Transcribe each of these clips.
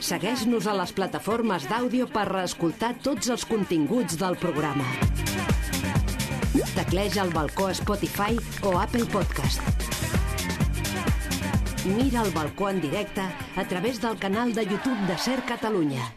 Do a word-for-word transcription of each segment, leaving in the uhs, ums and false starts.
Segueix-nos a les plataformes d'àudio per reescoltar tots els continguts del programa. Tecleja el balcó Spotify o Apple Podcast. Mira el balcó en directe a través del canal de YouTube de Ser Catalunya.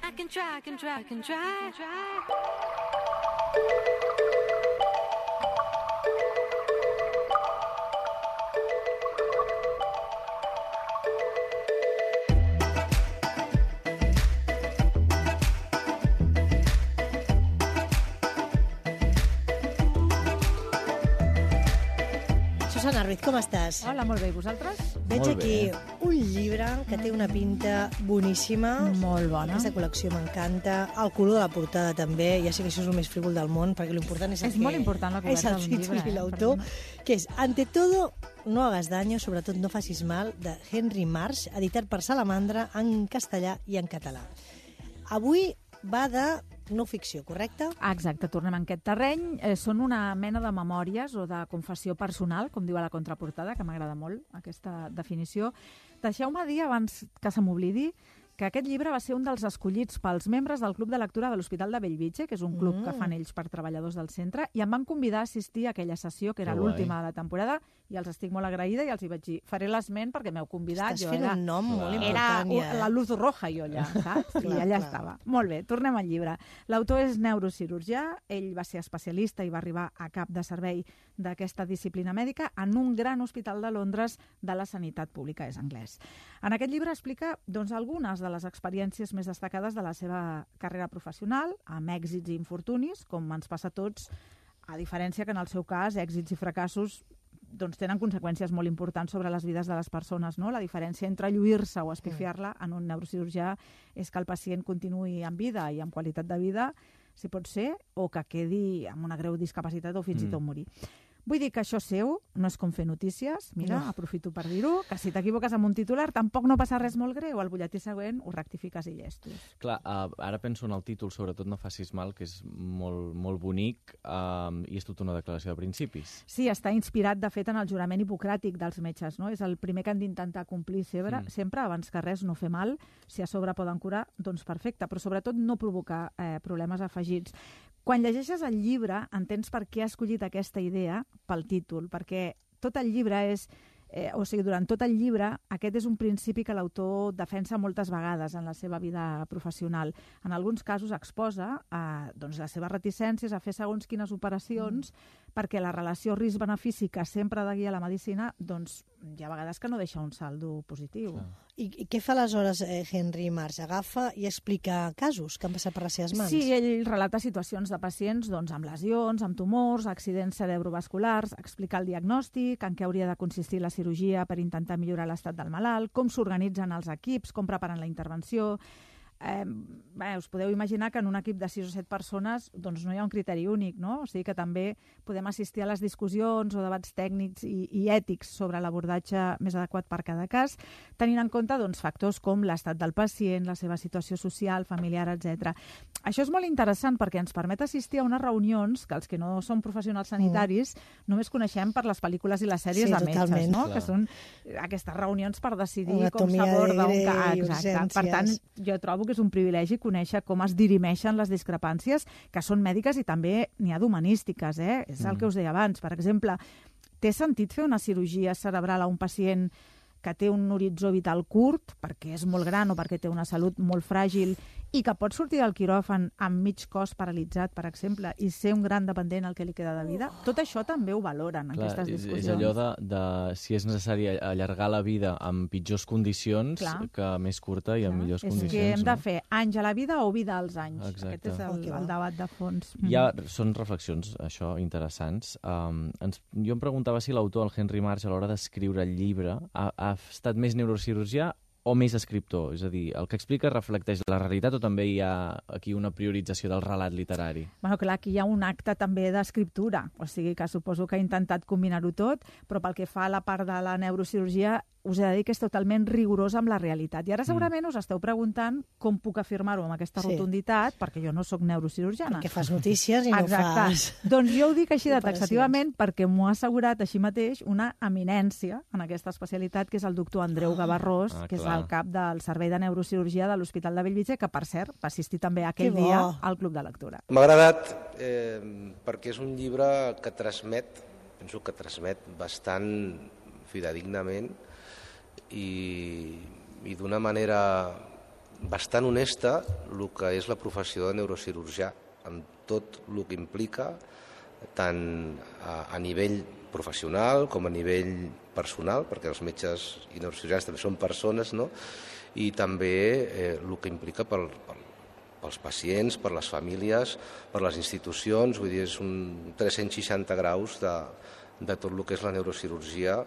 Susana Ruiz, com estàs? Hola, molt bé. I vosaltres? Veig Molt aquí bé. un llibre que té una pinta boníssima. Molt bona. Aquesta col·lecció m'encanta. El color de la portada també. Ja sé que això és el més frívol del món, perquè l'important és el És que... molt important la coberta és el d'un títol llibre, i eh, l'autor, perdona. que és Ante todo, no hagas daño, sobretot no facis mal, de Henry Marsh, editat per Salamandra en castellà i en català. Avui va de no ficció, correcte? Ah, exacte, tornem en aquest terreny. Eh, són una mena de memòries o de confessió personal, com diu a la contraportada, que m'agrada molt aquesta definició. Deixeu-me dir, abans que se m'oblidi, que aquest llibre va ser un dels escollits pels membres del Club de Lectura de l'Hospital de Bellvitge, que és un club mm. que fan ells per treballadors del centre, i em van convidar a assistir a aquella sessió, que era Que l'última de la temporada, i els estic molt agraïda, i els hi vaig dir, faré l'esment perquè m'heu convidat. Estàs jo fent era... un nom molt Era important, ja. la luz roja, jo allà, saps? I Clar, allà clar. estava. Molt bé, tornem al llibre. L'autor és neurocirurgià, ell va ser especialista i va arribar a cap de servei d'aquesta disciplina mèdica en un gran hospital de Londres de la sanitat pública, és anglès. En aquest llibre explica doncs, algunes de les experiències més destacades de la seva carrera professional, amb èxits i infortunis, com ens passa a tots, a diferència que en el seu cas èxits i fracassos doncs tenen conseqüències molt importants sobre les vides de les persones, no? La diferència entre lluir-se o espifiar-la en un neurocirurgià és que el pacient continuï en vida i amb qualitat de vida, si pot ser, o que quedi amb una greu discapacitat o fins mm. i tot morir. Vull dir que això seu no és com fer notícies, mira, no. Aprofito per dir-ho, que si t'equivoques amb un titular tampoc no passa res molt greu, al butlletí següent ho rectifiques i llestos. Clar, uh, ara penso en el títol, sobretot no facis mal, que és molt, molt bonic uh, i és tota una declaració de principis. Sí, està inspirat, de fet, en el jurament hipocràtic dels metges, no? És el primer que han d'intentar complir sempre, mm. sempre, abans que res, no fer mal. Si a sobre poden curar, doncs perfecte, però sobretot no provocar eh, problemes afegits. Quan llegeixes el llibre, entens per què ha escollit aquesta idea pel títol, perquè tot el llibre és... Eh, o sigui, durant tot el llibre, aquest és un principi que l'autor defensa moltes vegades en la seva vida professional. En alguns casos exposa eh, doncs les seves reticències a fer segons quines operacions, mm. perquè la relació risc-benefici que sempre ha de guiar la medicina, doncs hi ha vegades que no deixa un saldo positiu. Clar. I, I què fa aleshores eh, Henry Marsh? Agafa i explica casos que han passat per les seves mans? Sí, ell relata situacions de pacients doncs, amb lesions, amb tumors, accidents cerebrovasculars, explica el diagnòstic, en què hauria de consistir la cirurgia per intentar millorar l'estat del malalt, com s'organitzen els equips, com preparen la intervenció. Eh, bé, us podeu imaginar que en un equip de sis o set persones doncs no hi ha un criteri únic, no? O sigui que també podem assistir a les discussions o debats tècnics i, i ètics sobre l'abordatge més adequat per cada cas, tenint en compte doncs, factors com l'estat del pacient, la seva situació social, familiar, etcètera. Això és molt interessant perquè ens permet assistir a unes reunions que els que no som professionals sanitaris mm. només coneixem per les pel·lícules i les sèries sí, de metges, totalment. no? Clar. Que són aquestes reunions per decidir Anatomia com s'aborda un de cas. Grey, Exacte. Per tant, jo trobo que és un privilegi conèixer com es dirimeixen les discrepàncies, que són mèdiques i també n'hi ha d'humanístiques, eh? És el Mm. que us deia abans. Per exemple, té sentit fer una cirurgia cerebral a un pacient que té un horitzó vital curt, perquè és molt gran o perquè té una salut molt fràgil i que pot sortir del quiròfan amb mig cos paralitzat, per exemple, i ser un gran dependent al que li queda de vida? Tot això també ho valoren en Clar, aquestes és, discussions. és allò de, de si és necessari allargar la vida amb pitjors condicions Clar. que més curta i amb millors és condicions. que hem de no? fer anys a la vida o vida als anys. Exacte. Aquest és el, Oh, que va. el debat de fons. Hi ha, són reflexions, això, interessants. Um, ens, jo em preguntava si l'autor, el Henry Marsh, a l'hora d'escriure el llibre, ha, ha estat més neurocirurgià o més escriptor? És a dir, el que explica reflecteix la realitat o també hi ha aquí una priorització del relat literari? Bueno, clar, aquí hi ha un acte també d'escriptura, o sigui que suposo que ha intentat combinar-ho tot, però pel que fa a la part de la neurocirurgia us he de dir que és totalment rigorós amb la realitat. I ara segurament us esteu preguntant com puc afirmar-ho amb aquesta Sí. rotunditat, perquè jo no sóc neurocirurgiana. Perquè fas notícies i no Exacte. fas... Doncs jo ho dic així de operacions. taxativament perquè m'ho ha assegurat així mateix una eminència en aquesta especialitat, que és el doctor Andreu Gavarrós, Ah, que és clar. el cap del Servei de Neurocirurgia de l'Hospital de Bellvitge, que, per cert, va assistir també aquell Que bo. dia al Club de Lectura. M'ha agradat eh, perquè és un llibre que transmet, penso que transmet bastant fidedignament i, i d'una manera bastant honesta el que és la professió de neurocirurgià, amb tot el que implica, tant a, a nivell professional com a nivell personal, perquè els metges i neurocirurgians també són persones, no? I també eh, el que implica pel, pel, pels pacients, per les famílies, per les institucions, vull dir, és un tres-cents seixanta graus de, de tot el que és la neurocirurgia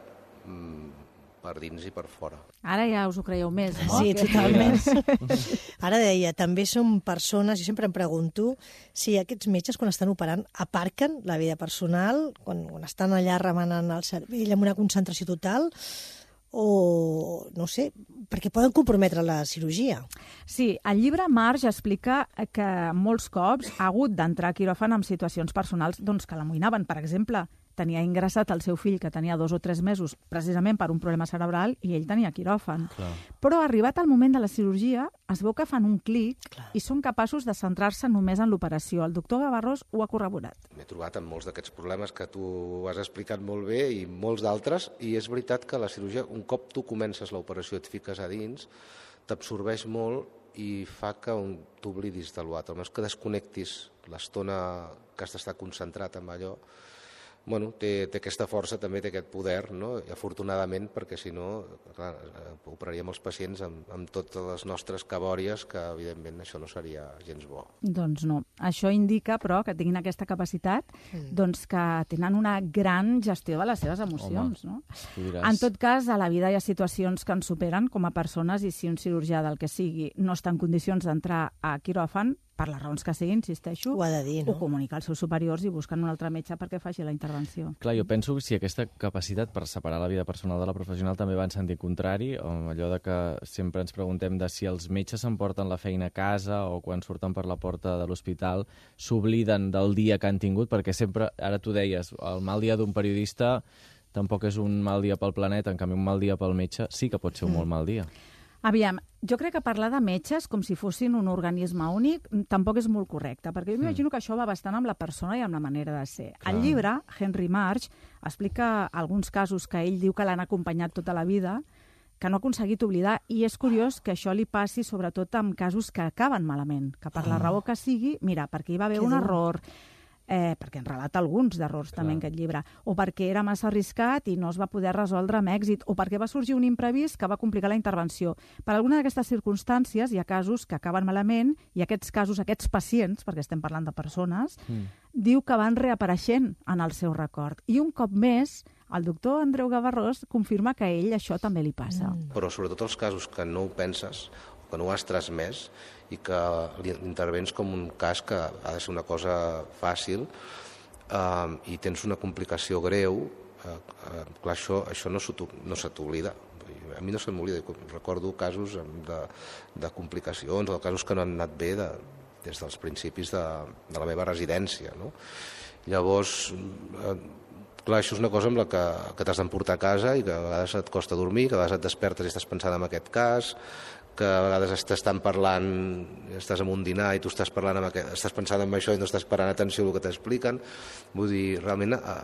mm, per dins i per fora. Ara ja us ho creieu més, no? Sí, Que- totalment. Ara deia, també som persones, jo sempre em pregunto si aquests metges, quan estan operant, aparquen la vida personal, quan, quan estan allà remenant el cervell amb una concentració total, o no sé, perquè poden comprometre la cirurgia. Sí, el llibre Marge explica que molts cops ha hagut d'entrar a quiròfan en situacions personals doncs, que l'amoïnaven. Per exemple, tenia ingressat el seu fill, que tenia dos o tres mesos, precisament per un problema cerebral, i ell tenia quiròfan. Clar. Però arribat al moment de la cirurgia, es veu que fan un clic Clar. i són capaços de centrar-se només en l'operació. El doctor Gavarrós ho ha corroborat. M'he trobat amb molts d'aquests problemes que tu has explicat molt bé i molts d'altres, i és veritat que la cirurgia, un cop tu comences l'operació i et fiques a dins, t'absorbeix molt i fa que t'oblidis de l'altre. No és que desconnectis l'estona que has d'estar concentrat en allò. Bueno, té, té aquesta força, també té aquest poder, no? I afortunadament, perquè si no, clar, operaríem els pacients amb, amb totes les nostres cabòries, que evidentment això no seria gens bo. Doncs no. Això indica, però, que tinguin aquesta capacitat, Mm. doncs que tenen una gran gestió de les seves emocions, Home, no? Tu diràs. En tot cas, a la vida hi ha situacions que ens superen com a persones i si un cirurgià del que sigui no està en condicions d'entrar a quiròfan, per les raons que sigui, insisteixo, Ho ha de dir, no? ho comunica als seus superiors i busquen un altre metge perquè faci la intervenció. Clar, jo penso que si aquesta capacitat per separar la vida personal de la professional també va en sentit contrari, o allò de que sempre ens preguntem de si els metges s'emporten la feina a casa o quan surten per la porta de l'hospital s'obliden del dia que han tingut, perquè sempre, ara tu deies, el mal dia d'un periodista tampoc és un mal dia pel planeta, en canvi un mal dia pel metge sí que pot ser un molt mal dia. Aviam, jo crec que parlar de metges com si fossin un organisme únic tampoc és molt correcte, perquè jo m'imagino que això va bastant amb la persona i amb la manera de ser. Clar. Al llibre, Henry Marsh explica alguns casos que ell diu que l'han acompanyat tota la vida, que no ha aconseguit oblidar, i és curiós que això li passi sobretot amb casos que acaben malament, que per la raó que sigui, mira, perquè hi va haver Que un dur. error, eh, perquè en relata alguns d'errors també en aquest llibre, o perquè era massa arriscat i no es va poder resoldre amb èxit, o perquè va sorgir un imprevist que va complicar la intervenció. Per alguna d'aquestes circumstàncies hi ha casos que acaben malament i aquests casos, aquests pacients, perquè estem parlant de persones, Mm. diu que van reapareixent en el seu record. I un cop més, el doctor Andreu Gavarrós confirma que a ell això també li passa. Mm. Però sobretot els casos que no ho penses, que no ho has transmès i que intervens com un cas que ha de ser una cosa fàcil eh, i tens una complicació greu, eh, eh, clar, això, això no, se t'ho- no se t'oblida. A mi no se m'oblida. Recordo casos de, de complicacions o de casos que no han anat bé de, des dels principis de, de la meva residència. No? Llavors, eh, clar, això és una cosa amb la que, que t'has d'emportar a casa i que a vegades et costa dormir, que a vegades et despertes i estàs pensant en aquest cas, que a vegades t'estan parlant, estàs en un dinar i tu estàs parlant amb aquest, estàs pensant en això i no estàs parant atenció al que t'expliquen. Vull dir, realment a,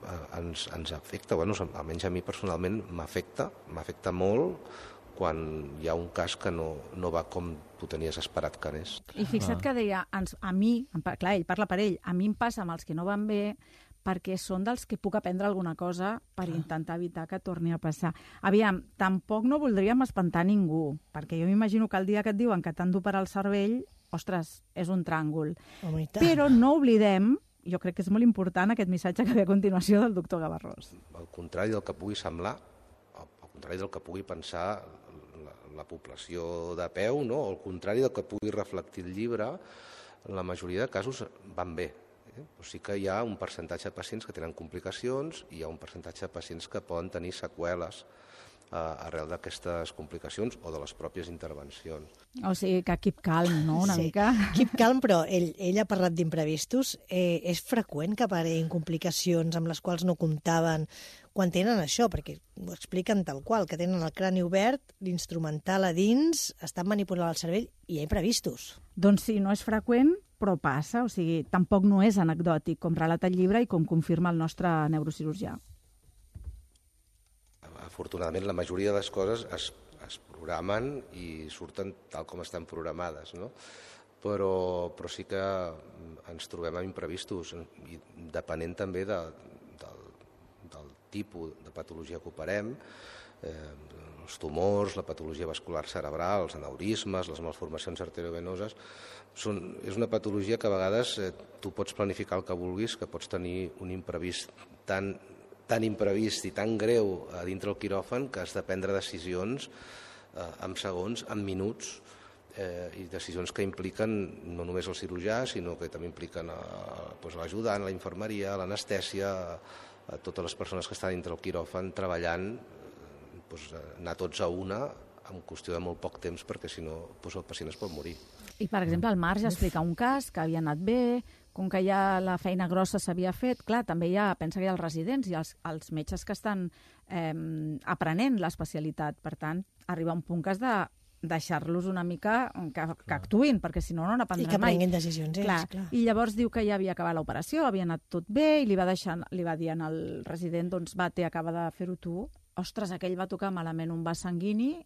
a, ens, ens afecta, bueno, almenys a mi personalment m'afecta, m'afecta molt quan hi ha un cas que no, no va com tu tenies esperat que anés. I fixa't que deia, ens, a mi, em pa- clar, ell parla per ell, a mi em passa amb els que no van bé perquè són dels que puc aprendre alguna cosa per intentar evitar que torni a passar. Aviam, tampoc no voldríem espantar ningú, perquè jo m'imagino que el dia que et diuen que t'han d'operar el cervell, ostres, és un tràngol. Home, i tant. Però no oblidem, jo crec que és molt important aquest missatge que ve a continuació del doctor Gavarrós. Al contrari del que pugui semblar, al contrari del que pugui pensar la, la població de peu, no? O al contrari del que pugui reflectir el llibre, la majoria de casos van bé. Eh? O sigui que hi ha un percentatge de pacients que tenen complicacions i hi ha un percentatge de pacients que poden tenir seqüeles arrel d'aquestes complicacions o de les pròpies intervencions. O sigui, que keep calm, no?, una sí. mica. Keep calm, però ell, ell ha parlat d'imprevistos. Eh, és freqüent que apareguin complicacions amb les quals no comptaven quan tenen això, perquè ho expliquen tal qual, que tenen el crani obert, l'instrumental a dins, estan manipulant el cervell i hi ha imprevistos. Doncs sí, no és freqüent, però passa, o sigui, tampoc no és anecdòtic, com relata el llibre i com confirma el nostre neurocirurgià. Afortunadament, la majoria de les coses es, es programen i surten tal com estan programades, no? Però, però sí que ens trobem amb imprevistos, i depenent també de, del, del tipus de patologia que operem, eh, els tumors, la patologia vascular cerebral, els aneurismes, les malformacions arteriovenoses, són, és una patologia que a vegades eh, tu pots planificar el que vulguis, que pots tenir un imprevist tan tan imprevist i tan greu a dintre el quiròfan que has de prendre decisions eh, en segons, en minuts, eh, i decisions que impliquen no només el cirurgià, sinó que també impliquen pues, l'ajudant, la infermeria, l'anestèsia, a totes les persones que estan dintre el quiròfan treballant, eh, pues, anar tots a una en qüestió de molt poc temps, perquè si no pues, el pacient es pot morir. I, per exemple, el Marc ja explica un cas que havia anat bé, com que ja la feina grossa s'havia fet, clar, també hi ha, pensa que hi ha els residents i els, els metges que estan eh, aprenent l'especialitat. Per tant, arriba un punt que has de deixar-los una mica que, que actuïn, perquè si no, no n'aprendran mai. I que prenguin decisions ells, clar. clar. I llavors diu que ja havia acabat l'operació, havia anat tot bé, i li va, deixar, li va dir al resident, doncs va, té, acaba de fer-ho tu. Ostres, aquell va tocar malament un vas sanguini,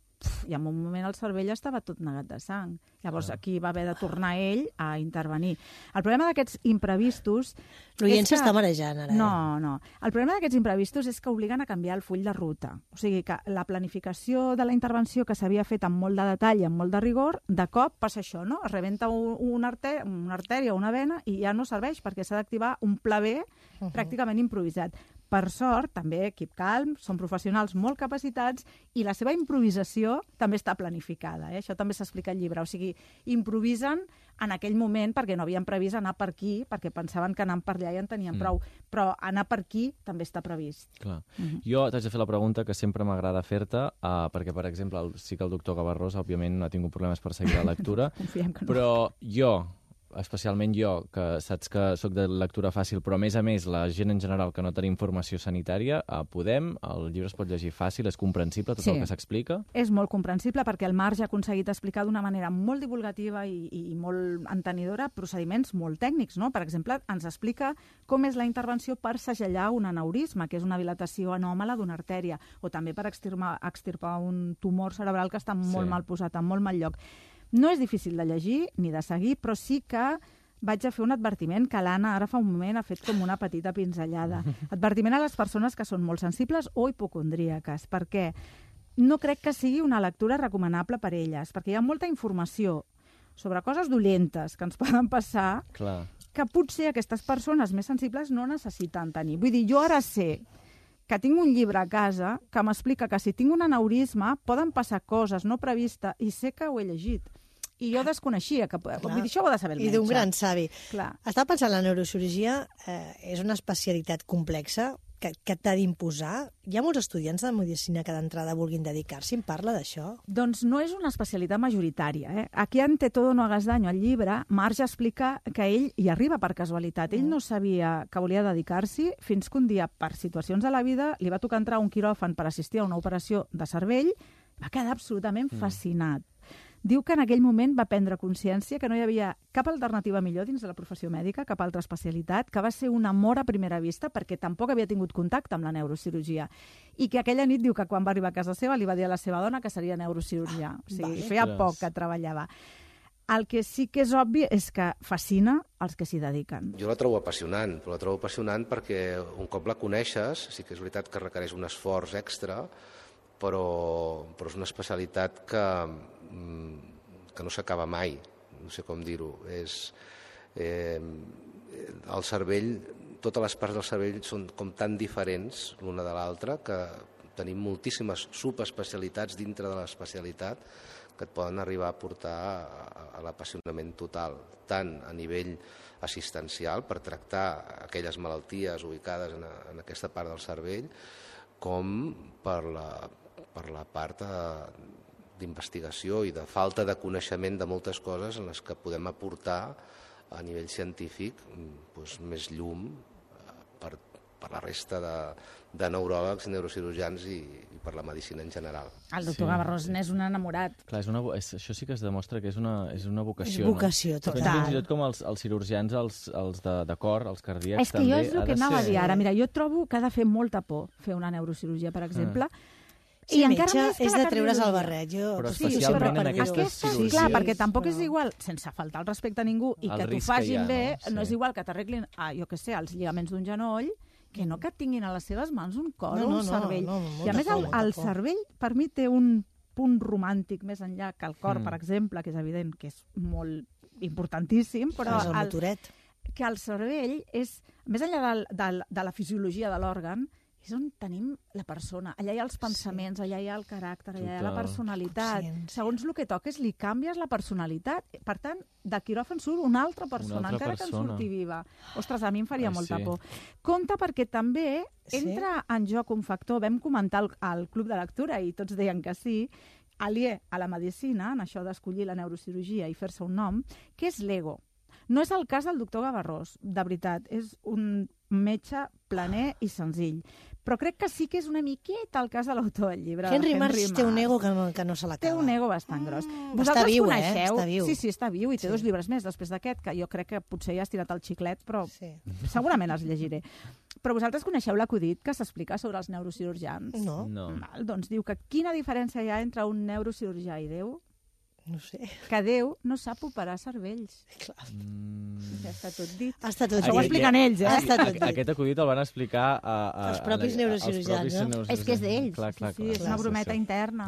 i en un moment el cervell estava tot negat de sang. Llavors aquí va haver de tornar ell a intervenir. El problema d'aquests imprevistos... L'oient que... s'està marejant ara. No, no. El problema d'aquests imprevistos és que obliguen a canviar el full de ruta. O sigui que la planificació de la intervenció que s'havia fet amb molt de detall i amb molt de rigor, de cop passa això, no? Es rebenta un, un artè una artèria o una vena i ja no serveix perquè s'ha d'activar un pla B uh-huh. pràcticament improvisat. Per sort, també, Keep Calm, són professionals molt capacitats i la seva improvisació també està planificada. Eh? Això també s'explica al llibre. O sigui, improvisen en aquell moment perquè no havien previst anar per aquí, perquè pensaven que anant per allà ja en tenien mm. prou. Però anar per aquí també està previst. Clar. Mm-hmm. Jo t'haig de fer la pregunta que sempre m'agrada fer-te, uh, perquè, per exemple, el, sí que el doctor Gavarrós, òbviament, no ha tingut problemes per seguir la lectura, Confiem que no. Però jo... especialment jo, que saps que sóc de lectura fàcil, però a més a més la gent en general que no tenim formació sanitària, eh, podem, el llibre es pot llegir fàcil, és comprensible tot sí. el que s'explica? És molt comprensible perquè el Marc ja ha aconseguit explicar d'una manera molt divulgativa i, i molt entenedora procediments molt tècnics, no? Per exemple, ens explica com és la intervenció per segellar un aneurisma, que és una dilatació anòmala d'una artèria, o també per extirpar, extirpar un tumor cerebral que està molt sí. mal posat, en molt mal lloc. No és difícil de llegir ni de seguir, però sí que vaig a fer un advertiment que l'Anna ara fa un moment ha fet com una petita pinzellada. Advertiment a les persones que són molt sensibles o hipocondríaques, perquè no crec que sigui una lectura recomanable per elles, perquè hi ha molta informació sobre coses dolentes que ens poden passar Clar. que potser aquestes persones més sensibles no necessiten tenir. Vull dir, jo ara sé que tinc un llibre a casa que m'explica que si tinc un aneurisma poden passar coses no previstes i sé que ho he llegit. I jo desconeixia, que vull dir, això ho ha de saber el metge. I d'un gran savi. Clar. Estava pensant, la neurocirurgia eh, és una especialitat complexa que, que t'ha d'imposar. Hi ha molts estudiants de medicina que d'entrada vulguin dedicar-s'hi. Em parla d'això? Doncs no és una especialitat majoritària. Eh? Aquí en Té todo no hagas daño, al llibre, Marc ja explica que ell hi arriba per casualitat. Ell no sabia que volia dedicar-s'hi fins que un dia, per situacions de la vida, li va tocar entrar a un quiròfan per assistir a una operació de cervell, va quedar absolutament mm. fascinat. Diu que en aquell moment va prendre consciència que no hi havia cap alternativa millor dins de la professió mèdica, cap altra especialitat, que va ser un amor a primera vista perquè tampoc havia tingut contacte amb la neurocirurgia. I que aquella nit diu que quan va arribar a casa seva li va dir a la seva dona que seria neurocirurgià. O sigui, vale. Feia poc que treballava. El que sí que és obvi és que fascina els que s'hi dediquen. Jo la trobo apassionant, però la trobo apassionant perquè un cop la coneixes, sí que és veritat que requereix un esforç extra, però, però és una especialitat que, que no s'acaba mai, no sé com dir-ho. És, eh, el cervell, totes les parts del cervell són com tan diferents l'una de l'altra que tenim moltíssimes subespecialitats dintre de l'especialitat que et poden arribar a portar a, a l'apassionament total, tant a nivell assistencial per tractar aquelles malalties ubicades en, a, en aquesta part del cervell, com per la per la part d'investigació i de falta de coneixement de moltes coses en les que podem aportar a nivell científic doncs, més llum per, per la resta de, de neuròlegs, neurocirurgians i, i per la medicina en general. El doctor sí. Gavarrós n'és un enamorat. Clar, és una, és, això sí que es demostra que és una, és una vocació. És vocació, no? total. Fins i tot com els, els cirurgians, els, els de, de cor, els cardíacs, és que també jo és el que anava ser... a dir ara. Mira, jo trobo que ha de fer molta por fer una neurocirurgia, per exemple, mm. Sí, I encara metge més que és de treure's el barret. Jo, però sí, especialment però en aquestes cirurgies. Clar, perquè tampoc és igual, sense faltar el respecte a ningú, i el que t'ho ha, facin no? bé, Sí. no és igual que t'arreglin, ah, jo què sé, els lligaments d'un genoll, que no que tinguin a les seves mans un cor no, o no, un cervell. No, no, no, I a més, el, el cervell, per mi, té un punt romàntic més enllà que el cor, Mm. per exemple, que és evident que és molt importantíssim, però és el motoret. que el cervell és, més enllà del, del, de la fisiologia de l'òrgan, és on tenim la persona. Allà hi ha els pensaments, sí. allà hi ha el caràcter, allà hi ha la personalitat. Consciència. Segons el que toques, li canvies la personalitat. Per tant, de quiròfan surt una altra persona, una altra encara persona. que en surti viva. Ostres, a mi em faria Ai, molta sí. por. Compte perquè també entra sí? en joc un factor, vam comentar al, al Club de Lectura i tots deien que sí, aliè a la medicina, en això d'escollir la neurocirurgia i fer-se un nom, que és l'ego. No és el cas del doctor Gavarrós, de veritat. És un metge planer i senzill. Però crec que sí que és una miqueta el cas de l'autor del llibre. Henry, Henry Marsh té un ego que no, que no se l'acaba. Té un ego bastant gros. Mm, Vosaltres està viu, coneixeu... eh? Està viu. Sí, sí, està viu i té Sí. dos llibres més després d'aquest, que jo crec que potser ja has tirat el xiclet, però Sí. segurament els llegiré. Però vosaltres coneixeu l'acudit que s'explica sobre els neurocirurgians? No, No. Val, doncs diu que quina diferència hi ha entre un neurocirurgià i Déu? no sé. Que Déu no sap operar cervells. Clar. Mm... Ja està tot dit. Està tot Això ho dit. expliquen ells, eh? Ha estat tot dit. Aquest acudit el van explicar a, a, Els propis a, neurocirurgians, als propis no? neurocirurgians. És que és d'ells. Clar, clar, sí, clar, és clar, una sí, brometa sí. interna.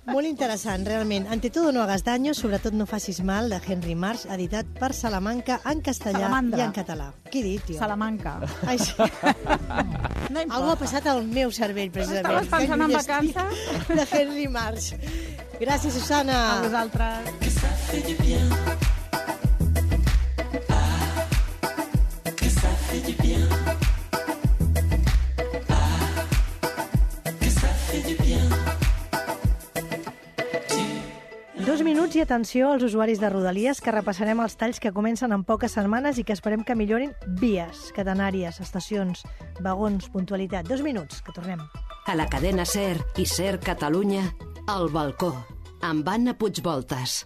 Molt interessant, realment. Ante todo no hagas daño, sobretot no facis mal, de Henry Marsh, editat per Salamanca en castellà Salamandra. i en català. Què he dit, tio? Salamanca. Ai, sí. No importa. Algú ha passat al meu cervell, precisament. Estaves pensant en Que lluny estic vacances? De Henry Marsh. Gràcies, Susana. A vosaltres. Dos minuts i atenció als usuaris de Rodalies, que repassarem els talls que comencen en poques setmanes i que esperem que millorin vies, catenàries, estacions, vagons, puntualitat. Dos minuts, que tornem. A la cadena SER i SER Catalunya, El Balcó, amb Anna Puigvoltas.